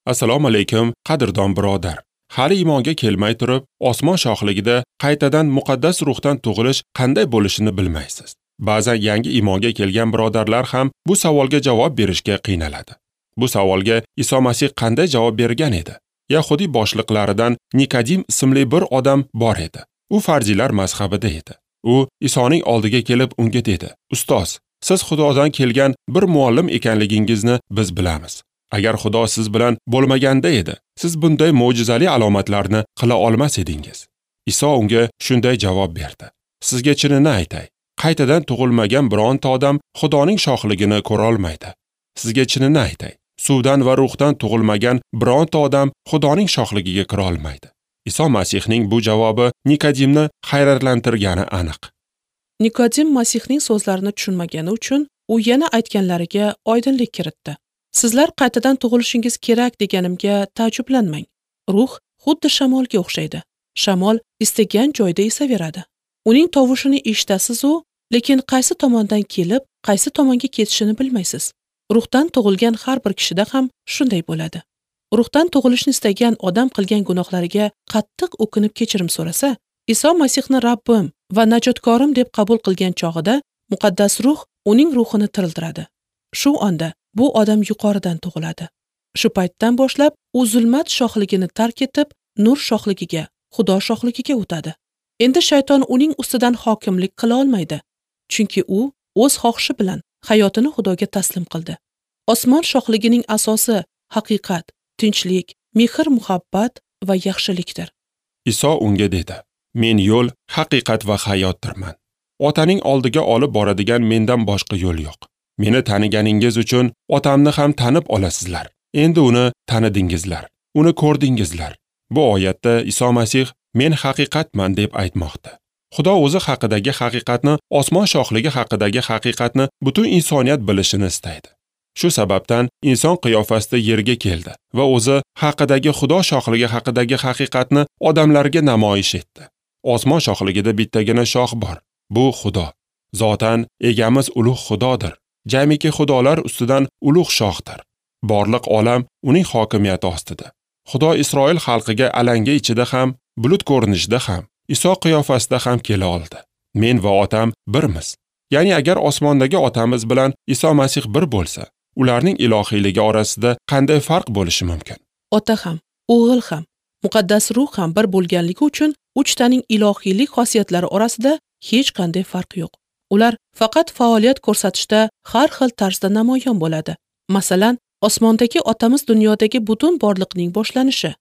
Assalomu alaykum, qadrdon birodar. Hali iymonga kelmay turib, osmon shohligida qaytadan muqaddas ruhdan tug'ilish qanday bo'lishini bilmaysiz. Ba'zan yangi iymonga kelgan birodarlar ham bu savolga javob berishga qiynaladi. Bu savolga Iso Masih qanday javob bergan edi? Yahudiy boshliqlaridan Nikodim ismli bir odam bor edi. U farzilar mazhabida edi. U Isoning oldiga kelib unga dedi: "Ustoz, siz Xudodan kelgan bir muallim ekanligingizni biz bilamiz. Agar Xudo siz bilan bo'lmaganda edi, siz bunday mo'jizali alomatlarni qila olmas edingiz." Iso unga shunday javob berdi: "Sizga chinini aytay, qaytadan tug'ilmagan bironta odam Xudoning shohligini ko'ra olmaydi. Sizga chinini aytay, suvdan va ruhdan tug'ilmagan bironta odam Xudoning shohligiga kira olmaydi." Iso Masihning bu javobi Nikodimni hayratlantirgani aniq. Nikodim Masihning so'zlarini tushunmagani uchun u yana aytganlariga oydinlik kiritdi. Sizlar qaytadan tug'ilishingiz kerak deganimga taajjublanmang. Ruh xuddi shamolga o'xshaydi. Shamol istagan joyda esaveradi. Uning tovushini eshitasiz-u, lekin qaysi tomondan kelib, qaysi tomonga ketishini bilmaysiz. Ruhdan tug'ilgan har bir kishida ham shunday bo'ladi. Ruhdan tug'ilishni istagan odam qilgan gunohlariga qattiq o'kinib kechirim so'rasa, Iso Masihni Rabbim va najotkorim deb qabul qilgan chog'ida muqaddas ruh uning ruhini tiriltiradi. Shu onda bu odam yuqoridan tug'iladi. Shu paytdan boshlab u zulmat shohligini tark etib, nur shohligiga, Xudo shohligiga o'tadi. Endi shayton uning ustidan hokimlik qila olmaydi, chunki u o'z xohishi bilan hayotini Xudoga taslim qildi. Osmon shohligining asosi haqiqat, tinchlik, mehr-muhabbat va yaxshilikdir. Iso unga dedi: "Men yo'l, haqiqat va hayotdirman. Otaning oldiga olib boradigan mendan boshqa yo'l yo'q. Meni taniganingiz uchun otamni ham tanib olasizlar. Endi uni tanidingizlar, uni ko'rdingizlar." Bu oyatda Iso Masih men haqiqatman deb aytmoqda. Xudo o'zi haqidagi haqiqatni, osmon shohligi haqidagi haqiqatni butun insoniyat bilishini istaydi. Shu sababdan inson qiyofasida yerga keldi va o'zi haqidagi Xudo shohligi haqidagi haqiqatni odamlarga namoyish etdi. Osmon shohligida bittagina shoh bor. Bu Xudo. Zotan egamiz ulug' Xudodir. Jamiki xudolar ustidan ulug' shohdir. Borliq olam uning hokimiyati ostida. Xudo Isroil xalqiga alanga ichida ham, bulut ko'rinishida ham, Iso qiyofasida ham kela oldi. Men va otam birmiz. Ya'ni agar osmondagi otamiz bilan Iso Masih bir bo'lsa, ularning ilohiyligi orasida qanday farq bo'lishi mumkin? Ota ham, o'g'il ham, muqaddas ruh ham bir bo'lganligi uchun uchtaning ilohiylik xosiyatlari orasida hech qanday farq yo'q. Ular faqat faoliyat ko'rsatishda har xil tarzda namoyon bo'ladi. Masalan, osmondagi otamiz dunyodagi butun borliqning boshlanishi.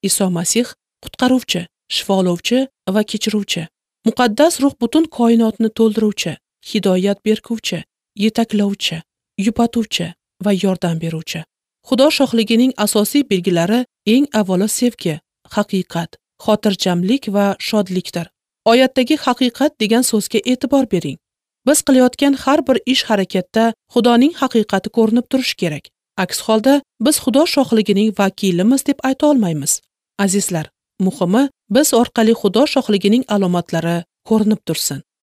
Iso Masih qutqaruvchi, shifolovchi va kechiruvchi. Muqaddas ruh butun koinotni to'ldiruvchi, hidoyat beruvchi, yetaklovchi, yupatuvchi va yordam beruvchi. Xudo shohligining asosiy belgilari eng avvalo sevgi, haqiqat, xotirjamlik va shodlikdir. Oyatdagi haqiqat degan so'zga e'tibor bering. Biz qilayotgan har bir ish harakatda Xudoning haqiqati ko'rinib turishi kerak. Aks holda biz Xudo shohligining vakilimiz deb ayta olmaymiz. Azizlar, muhimi biz orqali Xudo shohligining alomatlari ko'rinib tursin.